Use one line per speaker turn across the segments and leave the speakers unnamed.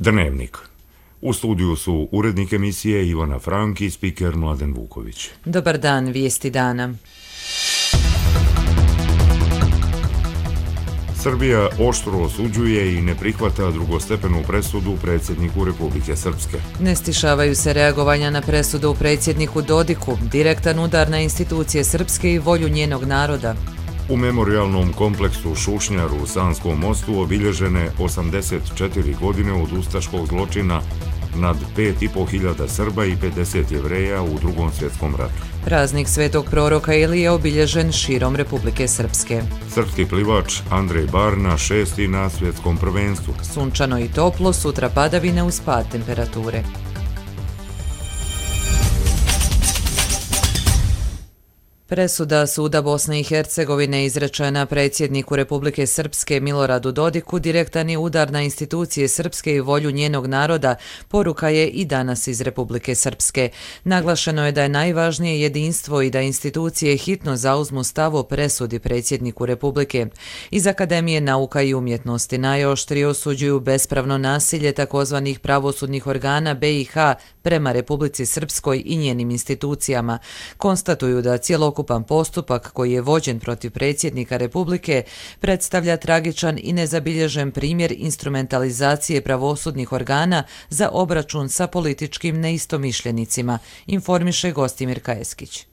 Dnevnik. U studiju su urednik emisije Ivana Frank i spiker Mladen Vuković.
Dobar dan, vijesti dana.
Srbija oštro osuđuje i ne prihvata drugostepenu presudu predsjedniku Republike Srpske.
Ne stišavaju se reagovanja na presudu predsjedniku Dodiku, direktan udar na institucije Srpske i volju njenog naroda.
U memorialnom kompleksu Šušnjar u Sanskom mostu obilježene 84 godine od ustaškog zločina nad 5.500 Srba i 50 Jevreja u Drugom svjetskom ratu.
Praznik svetog proroka Ilije obilježen širom Republike Srpske.
Srpski plivač Andrej Barna 6. na svjetskom prvenstvu.
Sunčano i toplo, sutra padavine uz pad temperature. Presuda Suda Bosne i Hercegovine izrečena predsjedniku Republike Srpske Miloradu Dodiku direktan je udar na institucije Srpske i volju njenog naroda, poruka je i danas iz Republike Srpske. Naglašeno je da je najvažnije jedinstvo i da institucije hitno zauzmu stav o presudi predsjedniku Republike. Iz Akademije nauka i umjetnosti najoštrije osuđuju bespravno nasilje takozvanih pravosudnih organa BiH prema Republici Srpskoj i njenim institucijama. Konstatuju da cjelokupan postupak koji je vođen protiv predsjednika Republike predstavlja tragičan i nezabilježen primjer instrumentalizacije pravosudnih organa za obračun sa političkim neistomišljenicima, informiše Gostimir Kajeskić.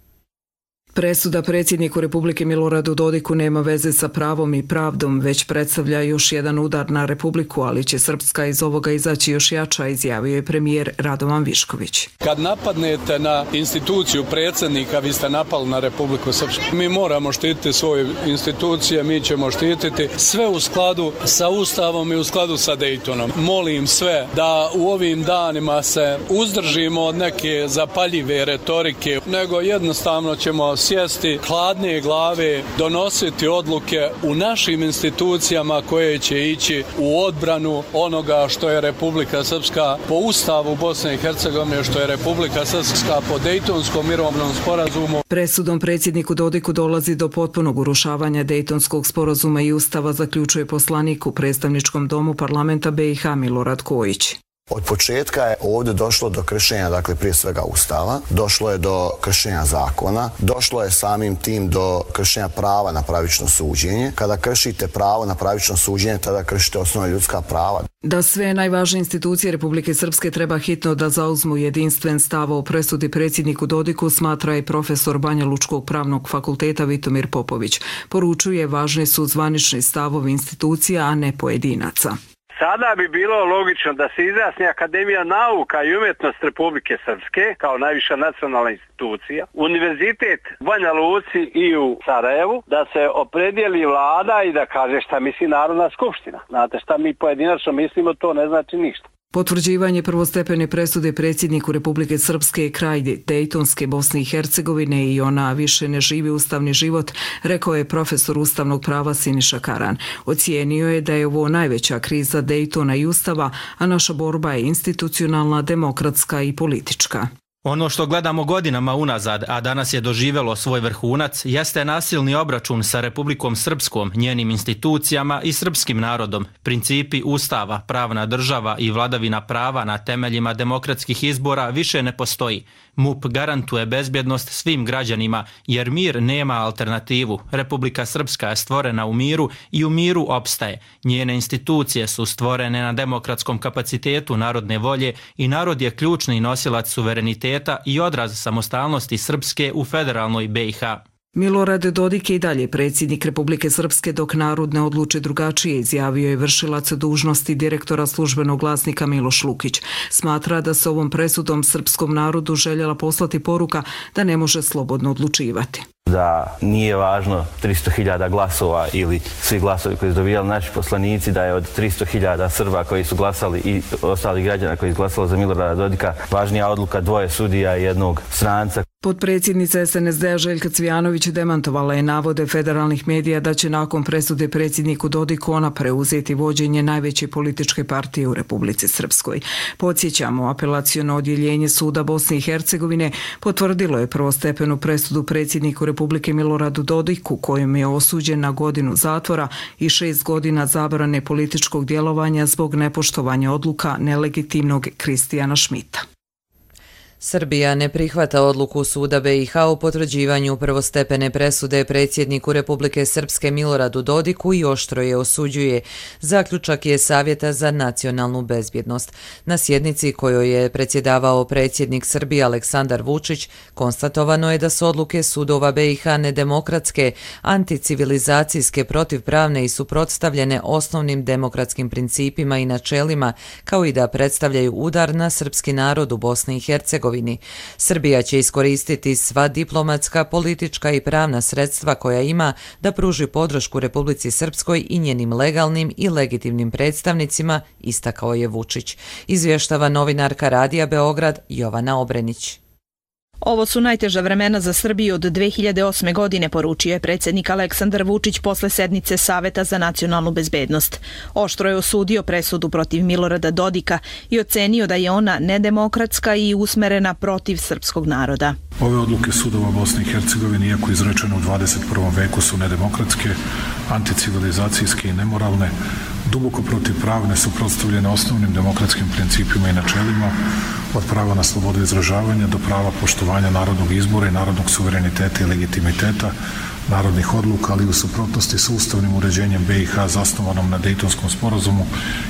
Presuda predsjedniku Republike Miloradu Dodiku nema veze sa pravom i pravdom, već predstavlja još jedan udar na Republiku, ali će Srpska iz ovoga izaći još jača, izjavio je premijer Radovan Višković.
Kad napadnete na instituciju predsjednika, vi ste napali na Republiku Srpsku. Mi moramo štititi svoje institucije, mi ćemo štititi sve u skladu sa Ustavom i u skladu sa Daytonom. Molim sve da u ovim danima se uzdržimo od neke zapaljive retorike, nego jednostavno ćemo sjesti hladne glave, donositi odluke u našim institucijama koje će ići u odbranu onoga što je Republika Srpska po Ustavu Bosne i Hercegovine, što je Republika Srpska po Dejtonskom mirovnom sporazumu.
Presudom predsjedniku Dodiku dolazi do potpunog urušavanja Dejtonskog sporazuma i Ustava, zaključuje poslanik u predstavničkom domu parlamenta BiH Milorad Kojić.
Od početka je ovdje došlo do kršenja, dakle prije svega Ustava, došlo je do kršenja zakona, došlo je samim tim do kršenja prava na pravično suđenje. Kada kršite pravo na pravično suđenje, tada kršite osnovna ljudska prava.
Da sve najvažnije institucije Republike Srpske treba hitno da zauzmu jedinstven stav o presudi predsjedniku Dodiku, smatra i profesor Banja Lučkog pravnog fakulteta Vitomir Popović. Poručuje, važni su zvanični stavovi institucija, a ne pojedinaca.
Sada bi bilo logično da se izjasni Akademija nauka i umjetnosti Republike Srpske kao najviša nacionalna institucija, Univerzitet u Banja Luci i u Sarajevu, da se opredijeli vlada i da kaže šta misli Narodna skupština. Znate šta mi pojedinačno mislimo, to ne znači ništa.
Potvrđivanje prvostepene presude predsjedniku Republike Srpske je kraj Dejtonske Bosne i Hercegovine i ona više ne živi ustavni život, rekao je profesor ustavnog prava Siniša Karan. Ocijenio je da je ovo najveća kriza Dejtona i Ustava, a naša borba je institucionalna, demokratska i politička.
Ono što gledamo godinama unazad, a danas je doživjelo svoj vrhunac, jeste nasilni obračun sa Republikom Srpskom, njenim institucijama i srpskim narodom. Principi Ustava, pravna država i vladavina prava na temeljima demokratskih izbora više ne postoji. MUP garantuje bezbjednost svim građanima, jer mir nema alternativu. Republika Srpska je stvorena u miru i u miru opstaje. Njene institucije su stvorene na demokratskom kapacitetu narodne volje i narod je ključni nosilac suvereniteta i odraz samostalnosti Srpske u federalnoj BiH.
Milorad Dodik je i dalje predsjednik Republike Srpske dok narod ne odluči drugačije, izjavio je vršilac dužnosti direktora službenog glasnika Miloš Lukić. Smatra da se ovom presudom srpskom narodu željela poslati poruka da ne može slobodno odlučivati.
Da nije važno 300.000 glasova ili svi glasovi koji su dobijali naši poslanici, da je od 300.000 Srba koji su glasali i ostalih građana koji su glasali za Milorada Dodika važnija odluka dvoje sudija i jednog stranca.
Potpredsjednica SNSD-a Željka Cvijanović demantovala je navode federalnih medija da će nakon presude predsjedniku Dodiku ona preuzeti vođenje najveće političke partije u Republici Srpskoj. Podsjećamo, apelaciono odjeljenje suda Bosne i Hercegovine potvrdilo je prvostepenu presudu predsjedniku Republike Miloradu Dodiku, kojom je osuđen na godinu zatvora i 6 godina zabrane političkog djelovanja zbog nepoštovanja odluka nelegitimnog Kristijana Šmita.
Srbija ne prihvata odluku suda BiH o potvrđivanju prvostepene presude predsjedniku Republike Srpske Miloradu Dodiku i oštro je osuđuje. Zaključak je Savjeta za nacionalnu bezbjednost. Na sjednici kojoj je predsjedavao predsjednik Srbije Aleksandar Vučić, konstatovano je da su odluke sudova BiH nedemokratske, anticivilizacijske, protivpravne i suprotstavljene osnovnim demokratskim principima i načelima, kao i da predstavljaju udar na srpski narod u Bosni i Hercegovini. Srbija će iskoristiti sva diplomatska, politička i pravna sredstva koja ima da pruži podršku Republici Srpskoj i njenim legalnim i legitimnim predstavnicima, istakao je Vučić. Izvještava novinarka Radija Beograd Jovana Obrenić.
Ovo su najteža vremena za Srbiju od 2008. godine, poručio je predsjednik Aleksandar Vučić posle sednice Saveta za nacionalnu bezbednost. Oštro je osudio presudu protiv Milorada Dodika i ocenio da je ona nedemokratska i usmerena protiv srpskog naroda.
Ove odluke sudova Bosne i Hercegovine, iako izrečene u 21. veku, su nedemokratske, anticivilizacijske i nemoralne, duboko protivpravne, suprotstavljene osnovnim demokratskim principima i načelima, od prava na slobodu izražavanja do prava poštovanja narodnog izbora i narodnog suvereniteta i legitimiteta, narodnih odluka, ali u suprotnosti sa ustavnim uređenjem BiH zasnovanom na Dejtonskom sporazumu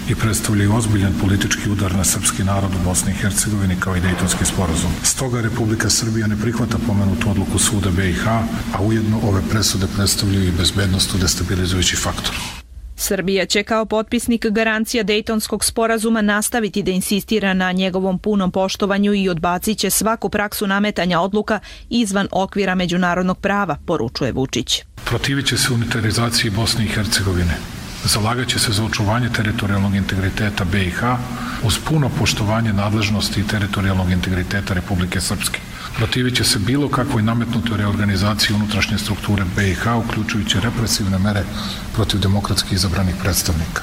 i predstavljaju ozbiljan politički udar na srpski narod u Bosni i Hercegovini kao i Dejtonski sporazum. Stoga Republika Srbija ne prihvata pomenutu odluku suda BiH, a ujedno ove presude predstavljaju i bezbednost destabilizujući faktor.
Srbija će kao potpisnik garancija Dejtonskog sporazuma nastaviti da insistira na njegovom punom poštovanju i odbacit će svaku praksu nametanja odluka izvan okvira međunarodnog prava, poručuje Vučić.
Protivit će se unitarizaciji Bosne i Hercegovine. Zalagat će se za očuvanje teritorijalnog integriteta BiH uz puno poštovanje nadležnosti i teritorijalnog integriteta Republike Srpske. Protivit će se bilo kakvoj nametnutoj reorganizaciji unutrašnje strukture BiH, uključujući represivne mere protiv demokratski izabranih predstavnika.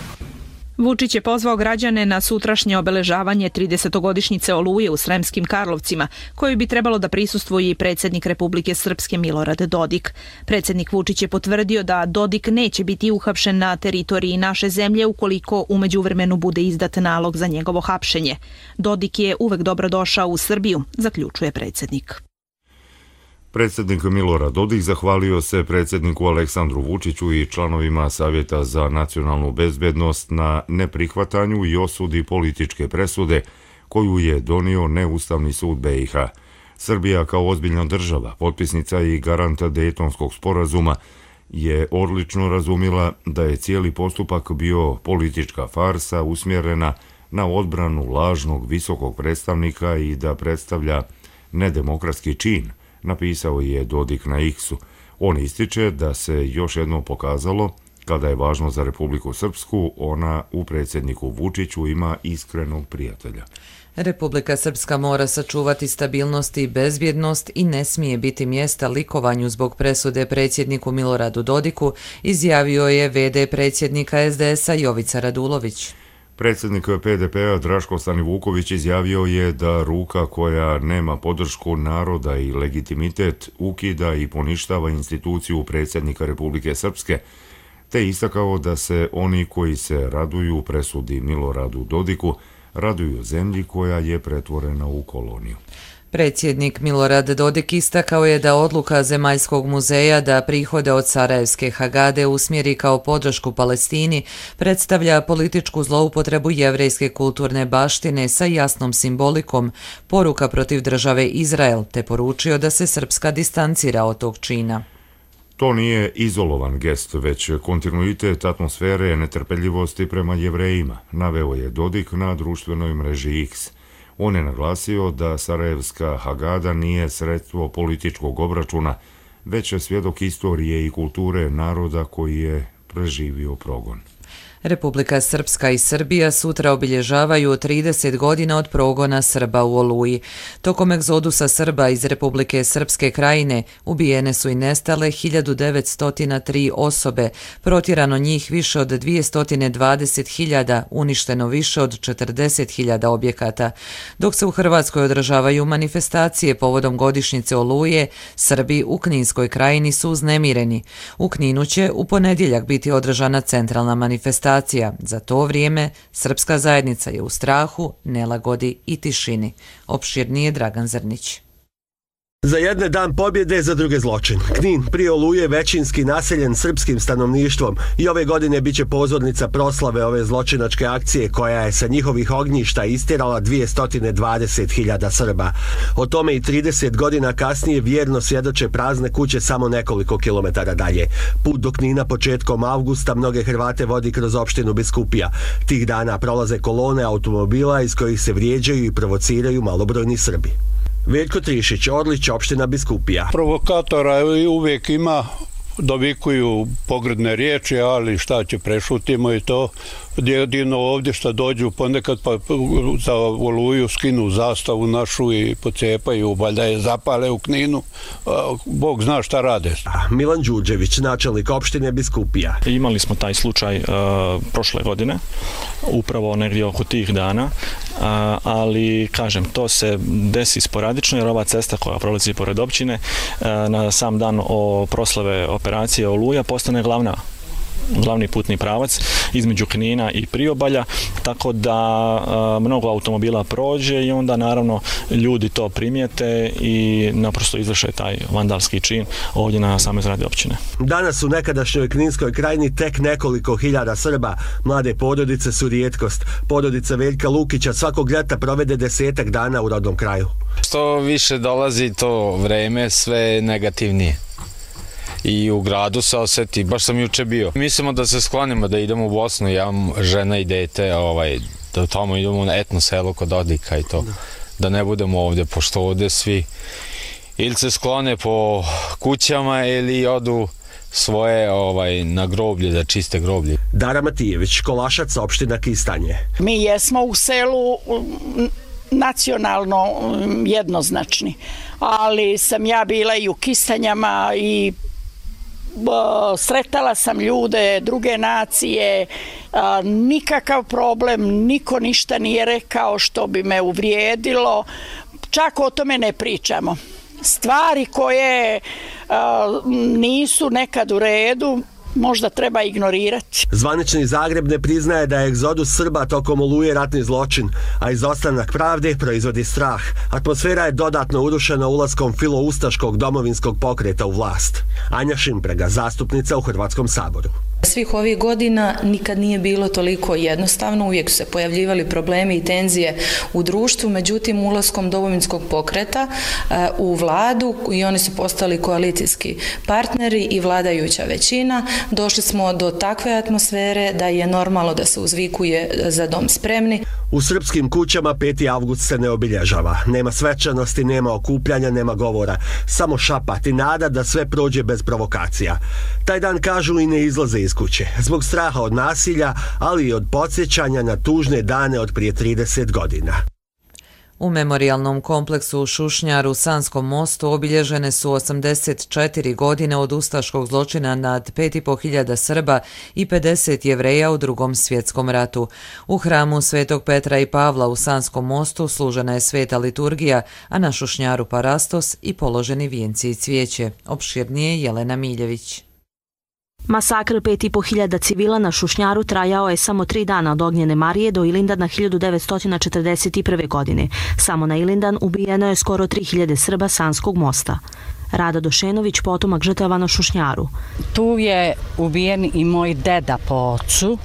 Vučić je pozvao građane na sutrašnje obeležavanje 30-godišnjice Oluje u Sremskim Karlovcima, koju bi trebalo da prisustvuje i predsjednik Republike Srpske Milorad Dodik. Predsjednik Vučić je potvrdio da Dodik neće biti uhapšen na teritoriji naše zemlje ukoliko u međuvremenu bude izdat nalog za njegovo hapšenje. Dodik je uvek dobrodošao u Srbiju, zaključuje predsjednik.
Predsjednik Milorad Dodik zahvalio se predsjedniku Aleksandru Vučiću i članovima Savjeta za nacionalnu bezbednost na neprihvatanju i osudi političke presude koju je donio neustavni sud BiH. Srbija kao ozbiljna država, potpisnica i garanta Dejtonskog sporazuma, je odlično razumila da je cijeli postupak bio politička farsa usmjerena na odbranu lažnog visokog predstavnika i da predstavlja nedemokratski čin, napisao je Dodik na X-u. On ističe da se još jednom pokazalo, kada je važno za Republiku Srpsku, ona u predsjedniku Vučiću ima iskrenog prijatelja.
Republika Srpska mora sačuvati stabilnost i bezbjednost i ne smije biti mjesta likovanju zbog presude predsjedniku Miloradu Dodiku, izjavio je v.d. predsjednika SDS-a Jovica Radulović.
Predsjednik PDP-a Draško Stanivuković izjavio je da ruka koja nema podršku naroda i legitimitet ukida i poništava instituciju predsjednika Republike Srpske, te istakao da se oni koji se raduju presudi Miloradu Dodiku raduju zemlji koja je pretvorena u koloniju.
Predsjednik Milorad Dodik istakao je da odluka Zemaljskog muzeja da prihode od Sarajevske Hagade usmjeri kao podršku Palestini predstavlja političku zloupotrebu jevrejske kulturne baštine sa jasnom simbolikom, poruka protiv države Izrael, te poručio da se Srpska distancira od tog čina.
To nije izolovan gest, već kontinuitet atmosfere netrpeljivosti prema Jevrejima, naveo je Dodik na društvenoj mreži X. On je naglasio da Sarajevska Hagada nije sredstvo političkog obračuna, već je svjedok istorije i kulture naroda koji je preživio progon.
Republika Srpska i Srbija sutra obilježavaju 30 godina od progona Srba u Oluji. Tokom egzodusa Srba iz Republike Srpske Krajine ubijene su i nestale 1903 osobe, protjerano njih više od 220.000, uništeno više od 40.000 objekata. Dok se u Hrvatskoj održavaju manifestacije povodom godišnjice Oluje, Srbi u Kninskoj Krajini su uznemireni. U Kninu će u ponedjeljak biti održana centralna manifestacija. Za to vrijeme srpska zajednica je u strahu, nelagodi i tišini. Opširnije Dragan Zrnić.
Za jedne dan pobjede, za druge zločin. Knin prije Oluje većinski naseljen srpskim stanovništvom i ove godine biće pozornica proslave ove zločinačke akcije koja je sa njihovih ognjišta istjerala 220.000 Srba. O tome i 30 godina kasnije vjerno svjedoče prazne kuće samo nekoliko kilometara dalje. Put do Knina početkom avgusta mnoge Hrvate vodi kroz opštinu Biskupija. Tih dana prolaze kolone automobila iz kojih se vrijeđaju i provociraju malobrojni Srbi. Veljko Trišić, Orlić, opština Biskupija.
Provokatora uvijek ima, dovikuju pogrdne riječi, ali šta će, prešutimo i to. Jedino ovdje što dođu ponekad pa za Oluju skinu zastavu našu i pocepaju, valjda je zapale u Kninu. Bog zna šta rade.
Milan Đurđević, načelnik opštine Biskupija.
Imali smo taj slučaj prošle godine, upravo negdje oko tih dana, ali kažem, to se desi sporadično jer ova cesta koja prolazi pored općine na sam dan proslave operacije Oluja postane glavni putni pravac između Knina i Priobalja, tako da mnogo automobila prođe i onda naravno ljudi to primijete i naprosto izvrše taj vandalski čin ovdje na samoj zgradi općine.
Danas u nekadašnjoj Kninskoj Krajini tek nekoliko hiljada Srba. Mlade porodice su rijetkost. Porodica Veljka Lukića svakog ljeta provede 10 dana u rodnom kraju.
Što više dolazi to vreme, sve negativnije. I u gradu se osjeti, baš sam juče bio. Mislimo da se sklonimo, da idemo u Bosnu, ja imam žena i dete, da tamo idemo na etno selo kod Dodika i to. Da ne budemo ovdje, pošto ovdje svi ili se sklone po kućama ili odu svoje na groblje, da čiste groblje.
Dara Matijević, Kolašac, opština Kistanje.
Mi jesmo u selu nacionalno jednoznačni, ali sam ja bila i u Kistanjama i sretala sam ljude druge nacije, nikakav problem, niko ništa nije rekao što bi me uvrijedilo, čak o tome ne pričamo. Stvari koje nisu nekad u redu, možda treba ignorirati.
Zvanični Zagreb ne priznaje da je egzodus Srba tokom Oluje ratni zločin, a izostanak pravde proizvodi strah. Atmosfera je dodatno urušena ulaskom filoustaškog domovinskog pokreta u vlast. Anja Šimprega, zastupnica u Hrvatskom saboru.
Svih ovih godina nikad nije bilo toliko jednostavno, uvijek su se pojavljivali problemi i tenzije u društvu, međutim ulaskom domovinskog pokreta u vladu i oni su postali koalicijski partneri i vladajuća većina, došli smo do takve atmosfere da je normalno da se uzvikuje za dom spremni.
U srpskim kućama 5. avgust se ne obilježava. Nema svečanosti, nema okupljanja, nema govora. Samo šapat i nada da sve prođe bez provokacija. Taj dan, kažu, i ne izlaze iz kuće. Zbog straha od nasilja, ali i od podsjećanja na tužne dane od prije 30 godina.
U memorijalnom kompleksu u Šušnjaru u Sanskom mostu obilježene su 84 godine od ustaškog zločina nad 5.500 Srba i 50 Jevreja u Drugom svjetskom ratu. U hramu Svetog Petra i Pavla u Sanskom mostu služena je sveta liturgija, a na Šušnjaru parastos i položeni vijenci i cvijeće. Opširnije Jelena Miljević.
Masakr 5.500 civila na Šušnjaru trajao je samo 3 dana od Ognjene Marije do Ilindana 1941. godine. Samo na Ilindan ubijeno je skoro 3.000 Srba Sanskog mosta. Rada Došenović, potomak žrtava na Šušnjaru.
Tu je ubijen i moj deda po ocu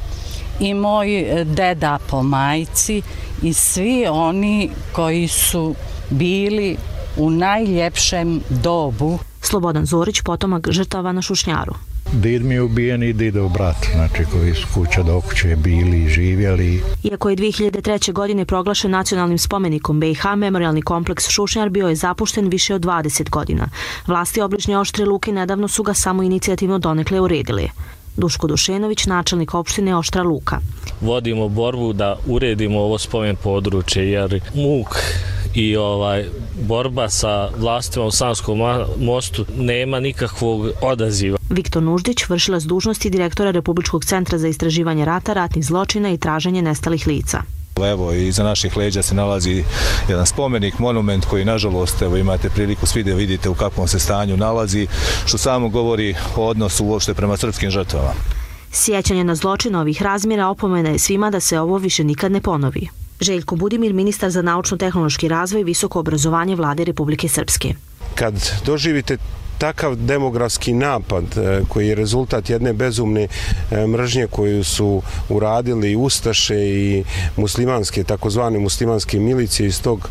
i moj deda po majci i svi oni koji su bili u najljepšem dobu.
Slobodan Zorić, potomak žrtava na Šušnjaru.
Did mi je ubijen i didov brat, znači koji su kuća do kuće bili i živjeli.
Iako je 2003. godine proglašen nacionalnim spomenikom BiH, memorialni kompleks Šušnjar bio je zapušten više od 20 godina. Vlasti obližnje Oštre Luke nedavno su ga samo inicijativno donekle uredili. Duško Dušenović, načelnik opštine Oštra Luka.
Vodimo borbu da uredimo ovo spomen područje jer muk i borba sa vlastima u Sanskom mostu nema nikakvog odaziva.
Viktor Nuždić, vršilac dužnosti direktora Republičkog centra za istraživanje rata, ratnih zločina i traženje nestalih lica.
Evo, iza naših leđa se nalazi jedan spomenik, monument koji, nažalost, evo, imate priliku svi da vidite u kakvom se stanju nalazi, što samo govori o odnosu uopšte prema srpskim žrtvama.
Sjećanje na zločin ovih razmjera opomena je svima da se ovo više nikad ne ponovi. Željko Budimir, ministar za naučno-tehnološki razvoj i visoko obrazovanje Vlade Republike Srpske.
Kad doživite takav demografski napad koji je rezultat jedne bezumne mržnje koju su uradili Ustaše i muslimanske, takozvane muslimanske milicije iz tog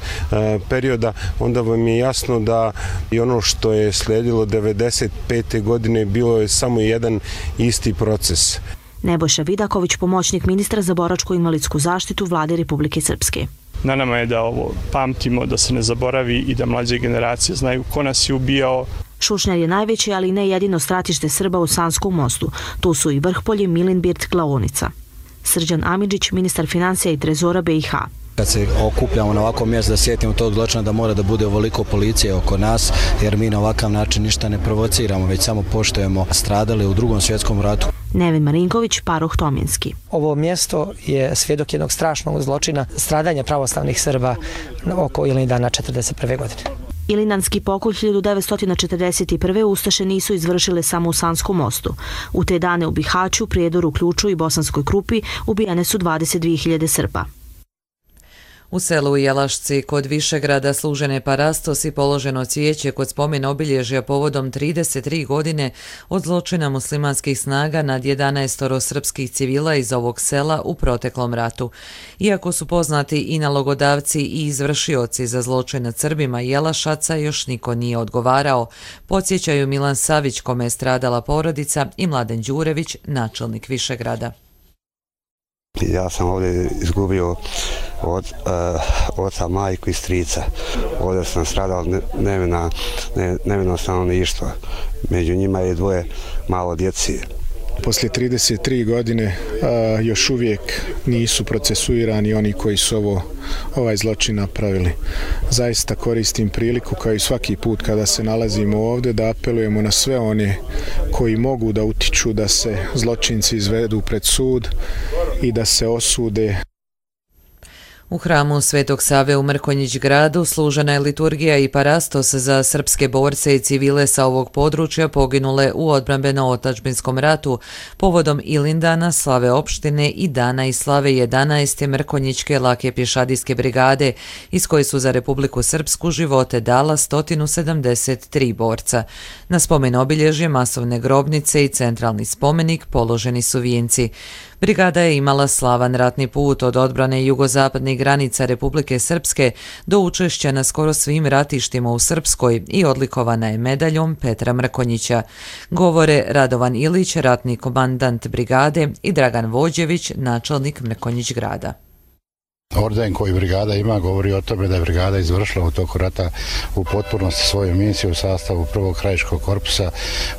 perioda, onda vam je jasno da i ono što je slijedilo 1995. godine bilo je samo jedan isti proces.
Nebojša Vidaković, pomoćnik ministra za boračko-invalidsku zaštitu Vlade Republike Srpske.
Na nama je da ovo pamtimo, da se ne zaboravi i da mlađe generacije znaju ko nas je ubijao.
Šušnjar je najveće, ali ne jedino stratište Srba u Sanskom mostu. Tu su i Vrhpolje, Milinbirt, Glaonica. Srđan Amidžić, ministar financija i trezora BiH.
Kad se okupljamo na ovakvom mjestu da sjetimo tog zločina, da mora da bude ovoliko policije oko nas, jer mi na ovakav način ništa ne provociramo, već samo poštujemo stradale u Drugom svjetskom ratu.
Nevin Marinković, Paroh Tominski.
Ovo mjesto je svjedok jednog strašnog zločina, stradanja pravoslavnih Srba oko Ilindana 1941. godine.
Ilindanski pokolj 1941. Ustaše nisu izvršile samo u Sanskom mostu. U te dane u Bihaću, Prijedoru, Ključu i Bosanskoj Krupi ubijene su 22.000 Srba.
U selu Jelašci kod Višegrada služen je parastos i položeno cvijeće kod spomen obilježja povodom 33 godine od zločina muslimanskih snaga nad 11 srpskih civila iz ovog sela u proteklom ratu. Iako su poznati i nalogodavci i izvršioci za zločin nad Srbima Jelašaca, još niko nije odgovarao. Podsjećaju Milan Savić, kome je stradala porodica, i Mladen Đurević, načelnik Višegrada.
Ja sam ovdje izgubio od oca, majku i strica. Ovdje sam stradao nevino stanovništvo. Među njima je dvoje malo djeci.
Poslije 33 godine još uvijek nisu procesuirani oni koji su ovaj zločin napravili. Zaista koristim priliku, kao i svaki put kada se nalazimo ovdje, da apelujemo na sve one koji mogu da utiču da se zločinci izvedu pred sud i da se osude.
U hramu Svetog Save u Mrkonjić gradu služena je liturgija i parastos za srpske borce i civile sa ovog područja poginule u odbrambeno-otadžbinskom ratu povodom Ilindana, slave opštine i dana i slave 11. Mrkonjićke lake pješadijske brigade, iz koje su za Republiku Srpsku živote dala 173 borca. Na spomen obilježje, masovne grobnice i centralni spomenik položeni su vijenci. Brigada je imala slavan ratni put od odbrane jugozapadnih granica Republike Srpske do učešća na skoro svim ratištima u Srpskoj i odlikovana je medaljom Petra Mrkonjića. Govore Radovan Ilić, ratni komandant brigade, i Dragan Vođević, načelnik Mrkonjić grada.
Orden koji brigada ima govori o tome da je brigada izvršila u toku rata u potpunosti svoju misiju u sastavu prvog krajiškog korpusa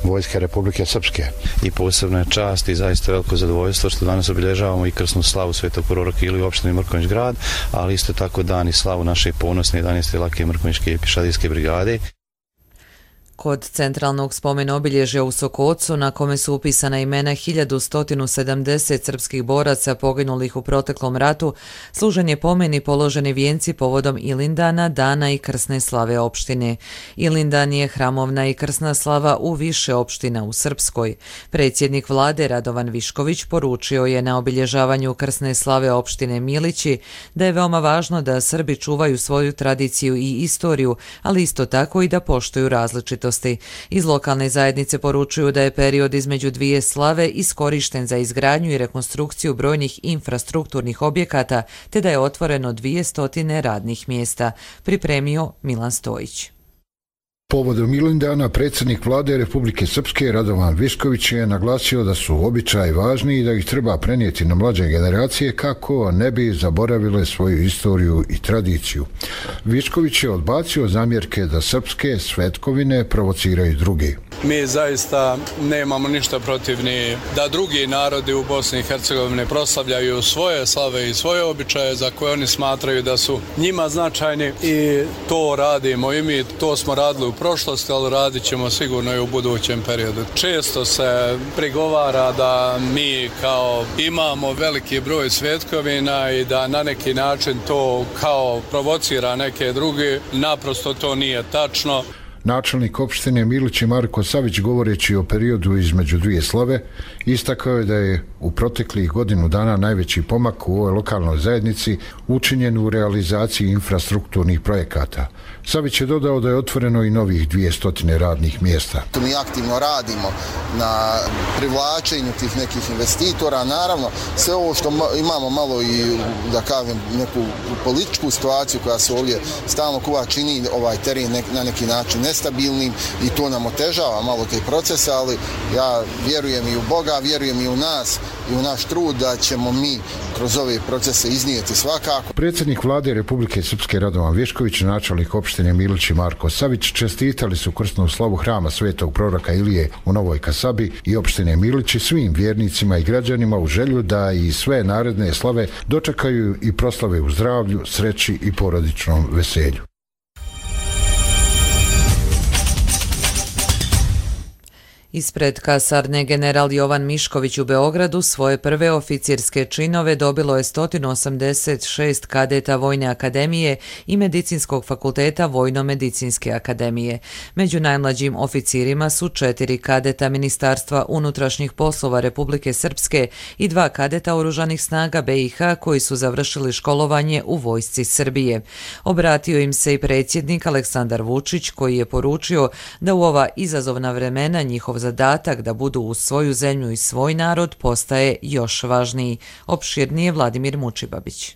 Vojske Republike Srpske.
I posebna je čast i zaista veliko zadovoljstvo što danas obilježavamo i krsnu slavu Svetog proroka Ilije u opštini Mrkonjić grad, ali isto tako dan i slavu naše ponosne 11. lake Mrkonjićke pješadijske brigade.
Kod centralnog spomena obilježja u Sokocu, na kome su upisana imena 1170 srpskih boraca poginulih u proteklom ratu, služen je pomen i položeni vijenci povodom Ilindana, dana i krsne slave opštine. Ilindan je hramovna i krsna slava u više opština u Srpskoj. Predsjednik vlade Radovan Višković poručio je na obilježavanju krsne slave opštine Milići da je veoma važno da Srbi čuvaju svoju tradiciju i istoriju, ali isto tako i da poštuju različitosti. Iz lokalne zajednice poručuju da je period između dvije slave iskorišten za izgradnju i rekonstrukciju brojnih infrastrukturnih objekata, te da je otvoreno 200 radnih mjesta, pripremio Milan Stojić.
Povodom Ilindana predsjednik vlade Republike Srpske Radovan Višković je naglasio da su običaji važni i da ih treba prenijeti na mlađe generacije kako ne bi zaboravile svoju istoriju i tradiciju. Višković je odbacio zamjerke da srpske svetkovine provociraju druge.
Mi zaista nemamo ništa protiv ni da drugi narodi u Bosni i Hercegovini proslavljaju svoje slave i svoje običaje za koje oni smatraju da su njima značajni i to radimo i mi, to smo radili u prošlosti, ali radit ćemo sigurno i u budućem periodu. Često se prigovara da mi kao imamo veliki broj svetkovina i da na neki način to kao provocira neke druge. Naprosto to nije tačno.
Načelnik opštine Milić Marko Savić, govoreći o periodu između dvije slave, istakao je da je u proteklih godinu dana najveći pomak u ovoj lokalnoj zajednici učinjen u realizaciji infrastrukturnih projekata. Savić je dodao da je otvoreno i novih 200 radnih mjesta.
Mi aktivno radimo na privlačenju tih nekih investitora. Naravno, sve ovo što imamo malo i, da kažem, neku političku situaciju koja se ovdje stalno kuva čini ovaj teren na neki način nestabilnim i to nam otežava malo te procese, ali ja vjerujem i u Boga, vjerujem i u nas i u naš trud da ćemo mi kroz ove procese iznijeti svakako.
Predsjednik vlade Republike Srpske Radovan Višković, načelnik opštine Milić i Marko Savić čestitali su krsnu slavu hrama Svetog proroka Ilije u Novoj Kasabi i opštine Milić svim vjernicima i građanima u želju da i sve naredne slave dočekaju i proslave u zdravlju, sreći i porodičnom veselju.
Ispred kasarne general Jovan Mišković u Beogradu svoje prve oficirske činove dobilo je 186 kadeta Vojne akademije i Medicinskog fakulteta Vojno-medicinske akademije. Među najmlađim oficirima su 4 kadeta Ministarstva unutrašnjih poslova Republike Srpske i 2 kadeta Oružanih snaga BiH koji su završili školovanje u Vojsci Srbije. Obratio im se i predsjednik Aleksandar Vučić koji je poručio da u ova izazovna vremena njihov zadatak da budu uz svoju zemlju i svoj narod postaje još važniji. Opširnije Vladimir Mučibabić.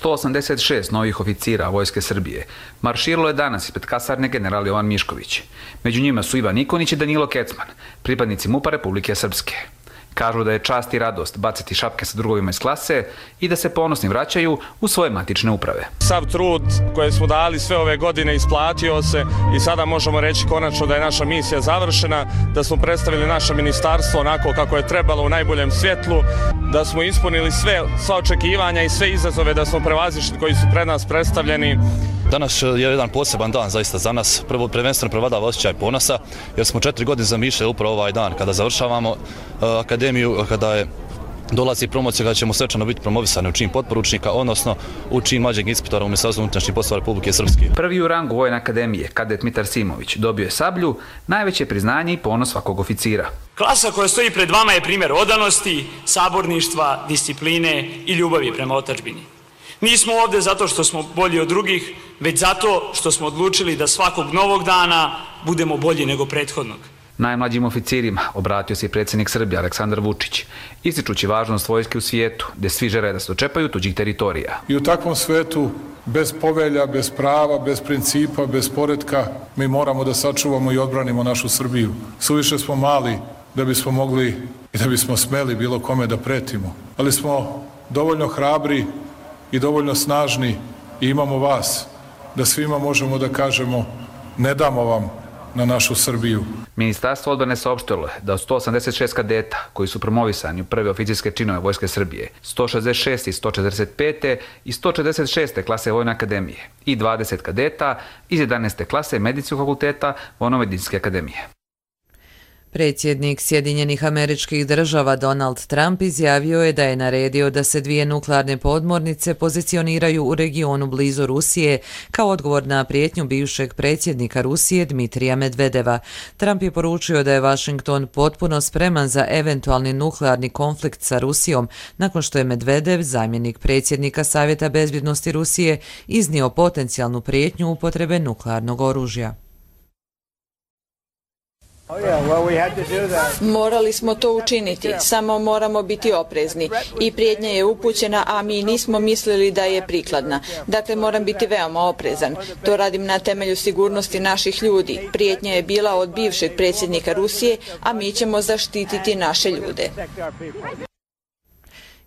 186 novih oficira Vojske Srbije marširalo je danas ispred kasarne general Jovan Mišković. Među njima su Ivan Nikonić i Danilo Kecman, pripadnici MUP-a Republike Srpske. Kažu da je čast i radost baciti šapke sa drugovima iz klase i da se ponosni vraćaju u svoje matične uprave.
Sav trud koje smo dali sve ove godine isplatio se i sada možemo reći konačno da je naša misija završena, da smo predstavili naše ministarstvo onako kako je trebalo u najboljem svjetlu, da smo ispunili sva očekivanja i sve izazove da smo prevazišli koji su pred nas predstavljeni.
Danas je jedan poseban dan zaista za nas. Prvenstveno prevladava osjećaj ponosa, jer smo 4 godine zamišljali upravo ovaj dan kada završavamo akademiju, kada dolazi promocija, kada ćemo svečano biti promovisani u čin potporučnika, odnosno u čin mlađeg inspektora u Ministarstvu unutrašnjih poslova Republike Srpske.
Prvi u rangu Vojne akademije, kadet Mitar Simović, dobio je sablju, najveće priznanje i ponos svakog oficira.
Klasa koja stoji pred vama je primjer odanosti, saborništva, discipline i ljubavi prema otadžbini. Nismo ovdje zato što smo bolji od drugih, već zato što smo odlučili da svakog novog dana budemo bolji nego prethodnog.
Najmlađim oficirima obratio se i predsjednik Srbije Aleksandar Vučić, ističući važnost vojske u svijetu, gdje svi žele da se dočepaju tuđih teritorija.
I u takvom svijetu, bez povelja, bez prava, bez principa, bez poretka, mi moramo da sačuvamo i odbranimo našu Srbiju. Suviše smo mali da bismo mogli i da bismo smeli bilo kome da pretimo, ali smo dovoljno hrabri i dovoljno snažni i imamo vas, da svima možemo da kažemo ne damo vam na našu Srbiju.
Ministarstvo odbrane saopštilo je da od 186 kadeta koji su promovisani u prve oficirske činove Vojske Srbije, 166 iz 145. i 146. klase Vojne akademije i 20 kadeta iz 11. klase Medicinskog fakulteta Vojno-medicinske akademije.
Predsjednik Sjedinjenih Američkih Država Donald Trump izjavio je da je naredio da se 2 nuklearne podmornice pozicioniraju u regionu blizu Rusije kao odgovor na prijetnju bivšeg predsjednika Rusije Dmitrija Medvedeva. Trump je poručio da je Washington potpuno spreman za eventualni nuklearni konflikt sa Rusijom nakon što je Medvedev, zamjenik predsjednika Savjeta bezbjednosti Rusije, iznio potencijalnu prijetnju upotrebe nuklearnog oružja.
Morali smo to učiniti, samo moramo biti oprezni. I prijetnja je upućena, a mi nismo mislili da je prikladna. Dakle, moram biti veoma oprezan. To radim na temelju sigurnosti naših ljudi. Prijetnja je bila od bivšeg predsjednika Rusije, a mi ćemo zaštititi naše ljude.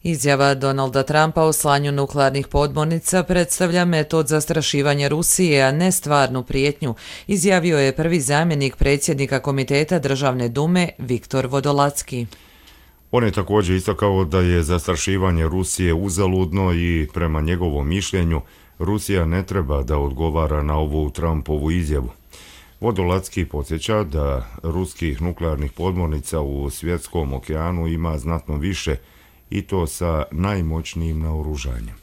Izjava Donalda Trumpa o slanju nuklearnih podmornica predstavlja metod zastrašivanja Rusije, a ne stvarnu prijetnju, izjavio je prvi zamjenik predsjednika Komiteta Državne dume Viktor Vodolacki.
On je također istakao da je zastrašivanje Rusije uzaludno i prema njegovom mišljenju Rusija ne treba da odgovara na ovu Trumpovu izjavu. Vodolacki podsjeća da ruskih nuklearnih podmornica u Svjetskom okeanu ima znatno više i to sa najmoćnijim naoružanjem.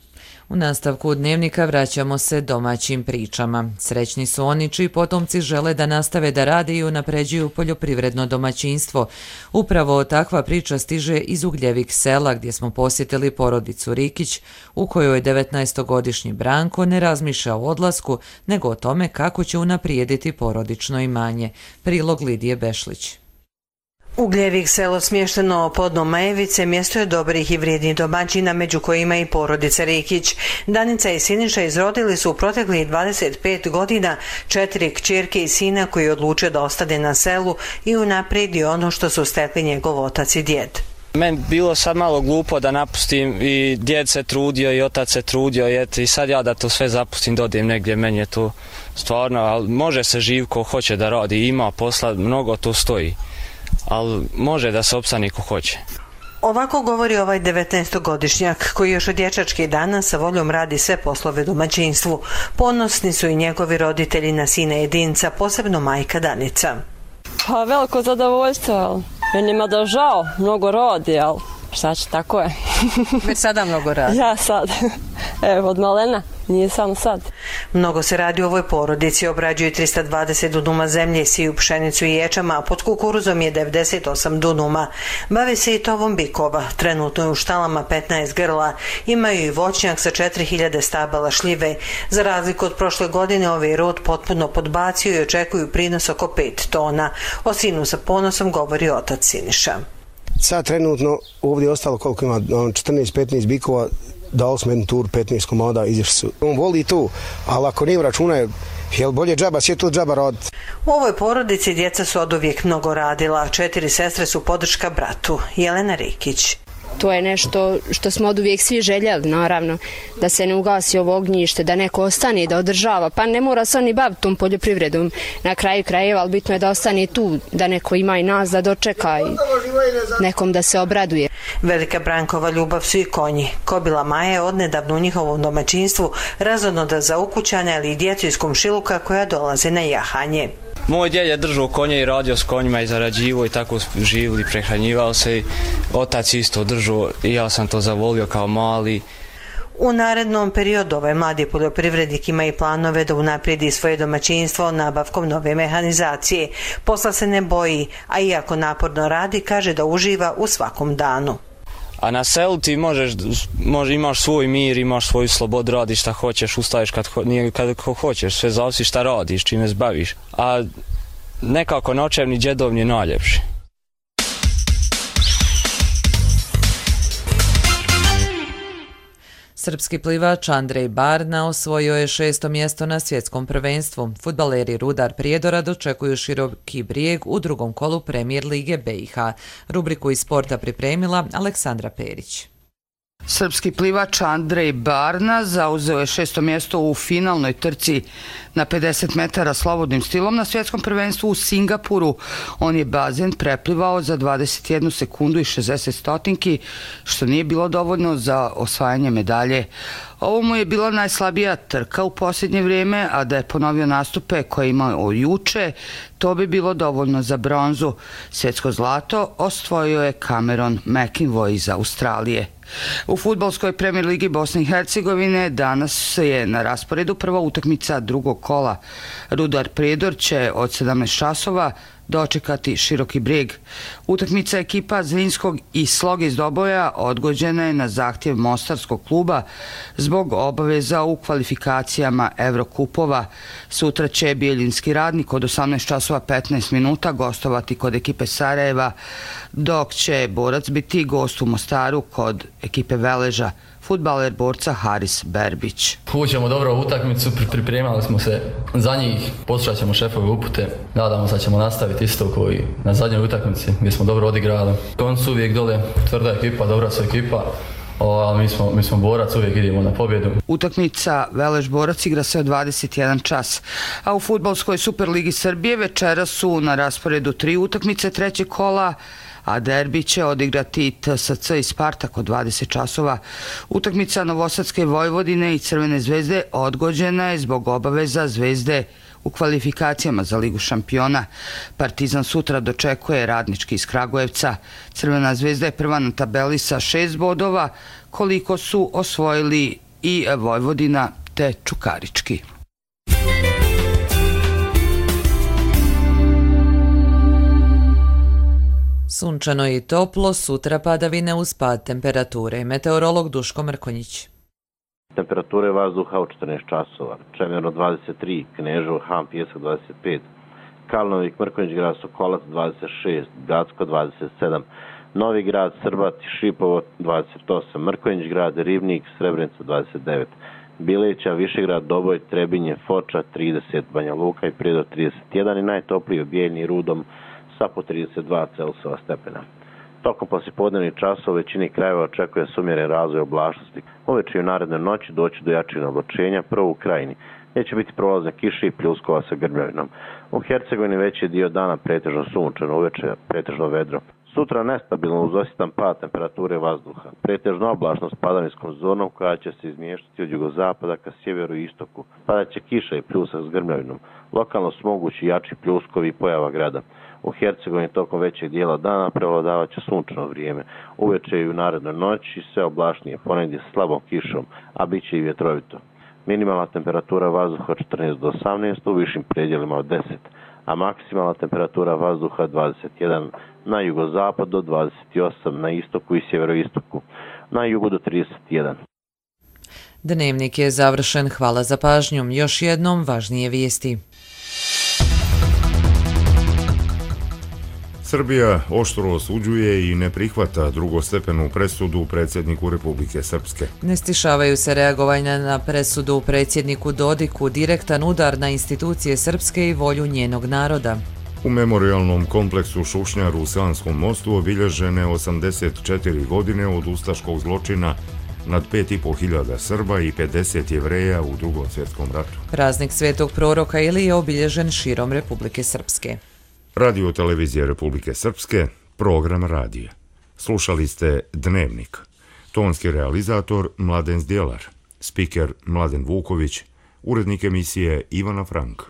U nastavku dnevnika vraćamo se domaćim pričama. Srećni su oni čiji potomci žele da nastave da rade i unapređuju poljoprivredno domaćinstvo. Upravo takva priča stiže iz Ugljevik sela gdje smo posjetili porodicu Rikić, u kojoj 19-godišnji Branko ne razmišlja o odlasku, nego o tome kako će unaprijediti porodično imanje. Prilog Lidije Bešlić.
Ugljevik selo smješteno podno Majevice mjesto je dobrih i vrijednih domaćina, među kojima i porodica Rikić. Danica i Siniša izrodili su u proteklih 25 godina 4 kćerke i sina koji odluče da ostane na selu i unaprijedi ono što su stekli njegov otac i djed.
Meni bilo sad malo glupo da napustim i djed se trudio i otac se trudio i sad ja da to sve zapustim, dodim negdje, meni je to stvarno, ali može se živ ko hoće da radi, ima posla, mnogo to stoji. Ali može da se opstane ko hoće.
Ovako govori ovaj 19-godišnjak koji još od dječačkih dana sa voljom radi sve poslove domaćinstvu. Ponosni su i njegovi roditelji na sina jedinca, posebno majka Danica.
Pa veliko zadovoljstvo, ali meni ima da žao, mnogo rodi, ali šta će, tako je.
Već sada mnogo radi?
Ja sad, evo od malena, nije samo sad.
Mnogo se radi u ovoj porodici, obrađuju 320 dunuma zemlje, siju pšenicu i ječama, a pod kukuruzom je 98 dunuma. Bave se i tovom bikova, trenutno je u štalama 15 grla, imaju i voćnjak sa 4000 stabala šljive. Za razliku od prošle godine ovaj rod potpuno podbacio i očekuju prinos oko 5 tona. O sinu sa ponosom govori otac Siniša.
Sad trenutno ovdje je ostalo koliko ima, 14-15 bikova, dao smo jednu tur, 15 komada, izašli su. On voli to, ali ako nije računa, jel bolje džaba, sve to džaba raditi.
U ovoj porodici djeca su oduvijek mnogo radila, 4 sestre su podrška bratu. Jelena Rikić.
To je nešto što smo oduvijek svi željeli, naravno, da se ne ugasi ovo ognjište, da neko ostane, da održava, pa ne mora se oni baviti tom poljoprivredom na kraju krajeva, ali bitno je da ostane tu, da neko ima i nas da dočeka i nekom da se obraduje.
Velika Brankova ljubav su i konji. Kobila Maja je odnedavno u njihovom domaćinstvu razodnoda za ukućane, ali i djecu iz komšiluka koja dolaze na jahanje.
Moj djed je držao konje i radio s konjima i zarađivo i tako živili, prehranjivao se. Otac isto držao i ja sam to zavolio kao mali.
U narednom periodu ovaj mladi poljoprivrednik ima i planove da unaprijedi svoje domaćinstvo nabavkom nove mehanizacije. Posla se ne boji, a iako naporno radi, kaže da uživa u svakom danu.
A na selu ti imaš svoj mir, imaš svoju slobodu, radiš šta hoćeš, ustaješ kad hoćeš, sve zavisi šta radiš, čime se baviš. A nekako noćevni djedovni je najljepši.
Srpski plivač Andrej Barna osvojio je 6. mjesto na svjetskom prvenstvu. Fudbaleri Rudar Prijedora dočekuju Široki Brijeg u drugom kolu Premijer lige BiH. Rubriku iz sporta pripremila Aleksandra Perić.
Srpski plivač Andrej Barna zauzeo je 6. mjesto u finalnoj trci na 50 metara slobodnim stilom na svjetskom prvenstvu u Singapuru. On je bazen preplivao za 21 sekundu i 60 stotinki, što nije bilo dovoljno za osvajanje medalje. Ovo mu je bila najslabija trka u posljednje vrijeme, a da je ponovio nastupe koje je imao juče, to bi bilo dovoljno za bronzu. Svjetsko zlato osvojio je Cameron McInvoy iz Australije. U fudbalskoj Premijer ligi Bosne i Hercegovine danas je na rasporedu prva utakmica drugog kola. Rudar Prijedor će od 17 časova dočekati Široki Brijeg. Utakmica ekipa Zrinskog i Sloge iz Doboja odgođena je na zahtjev Mostarskog kluba zbog zbog obaveza u kvalifikacijama Evrokupova. Sutra će Bijeljinski Radnik od 18 časova 15 minuta gostovati kod ekipe Sarajeva, dok će Borac biti gost u Mostaru kod ekipe Veleža. Fudbaler Borca Haris Berbić.
Uđemo dobro u utakmicu, pripremali smo se za njih, poslušat ćemo šefove upute, nadamo se da ćemo nastaviti isto koji na zadnjoj utakmici gdje smo dobro odigrali. Koncu uvijek dole tvrda ekipa, dobra su ekipa, ali mi smo Borac, uvijek idemo na pobjedu.
Utakmica Velež Borac igra se od 21 čas, a u fudbalskoj Superligi Srbije večera su na rasporedu 3 utakmice trećeg kola, a derbi će odigrati TSC i Spartak od 20 časova. Utakmica Novosadske Vojvodine i Crvene zvezde odgođena je zbog obaveza Zvezde u kvalifikacijama za Ligu šampiona. Partizan sutra dočekuje Radnički iz Kragujevca. Crvena zvezda je prva na tabeli sa 6 bodova, koliko su osvojili i Vojvodina te Čukarički.
Sunčano i toplo, sutra padavine uz pad temperature. Meteorolog Duško Mrkonjić.
Temperature vazduha u 14 časova. Čemerno 23, Kneževo, Han, Pjesak 25, Kalnovik, Mrkonjić grad, Sokolac 26, Gacko 27, Novi grad, Srbat, Šipovo 28, Mrkonjić grad, Ribnik, Srebrenica 29, Bileća, Višegrad, Doboj, Trebinje, Foča 30, Banja Luka i Prijedor 31 i najtopliji u Bijeljni, Rudom sa po 32 Celzijeva stepena. Tokom poslijepodnevnih časova u većini krajeva očekuje se umjeren razvoj oblačnosti. Uveče i u narednoj noći doći do jačeg oblačenja, prvo u krajini, gdje će biti prolazne kiše i pljuskova sa grmljavinom. U Hercegovini veći dio dana pretežno sunčano, uveče pretežno vedro. Sutra nestabilno uz osjetan pad temperature vazduha. Pretežno oblačno s padavijskom zonom koja će se izmještati od jugozapada ka sjeveru i istoku. Padaće kiša i pljusak s grmljavinom. Lokalno su mogući jači pljuskovi i pojava grada. U Hercegovini tokom većeg dijela dana prevladavat će sunčano vrijeme. Uveče i u narednoj noći sve oblačnije, ponegdje s slabom kišom, a bit će i vjetrovito. Minimalna temperatura vazduha od 14 do 18, u višim predjelima od 10, a maksimalna temperatura vazduha 21 na jugozapad do 28, na istoku i sjeveroistoku, na jugu do 31.
Dnevnik je završen, hvala za pažnjom. Još jednom važnije vijesti.
Srbija oštro osuđuje i ne prihvata drugostepenu presudu predsjedniku Republike Srpske.
Ne stišavaju se reagovanja na presudu predsjedniku Dodiku, direktan udar na institucije Srpske i volju njenog naroda.
U memorialnom kompleksu Šušnjar u Sanskom mostu obilježene 84 godine od ustaškog zločina nad 5.500 Srba i 50 Jevreja u Drugom svjetskom ratu.
Praznik Svetog proroka Ilije je obilježen širom Republike Srpske.
Radio televizije Republike Srpske, program radija. Slušali ste Dnevnik. Tonski realizator Mladen Zdjelar, spiker Mladen Vuković, urednik emisije Ivana Frank.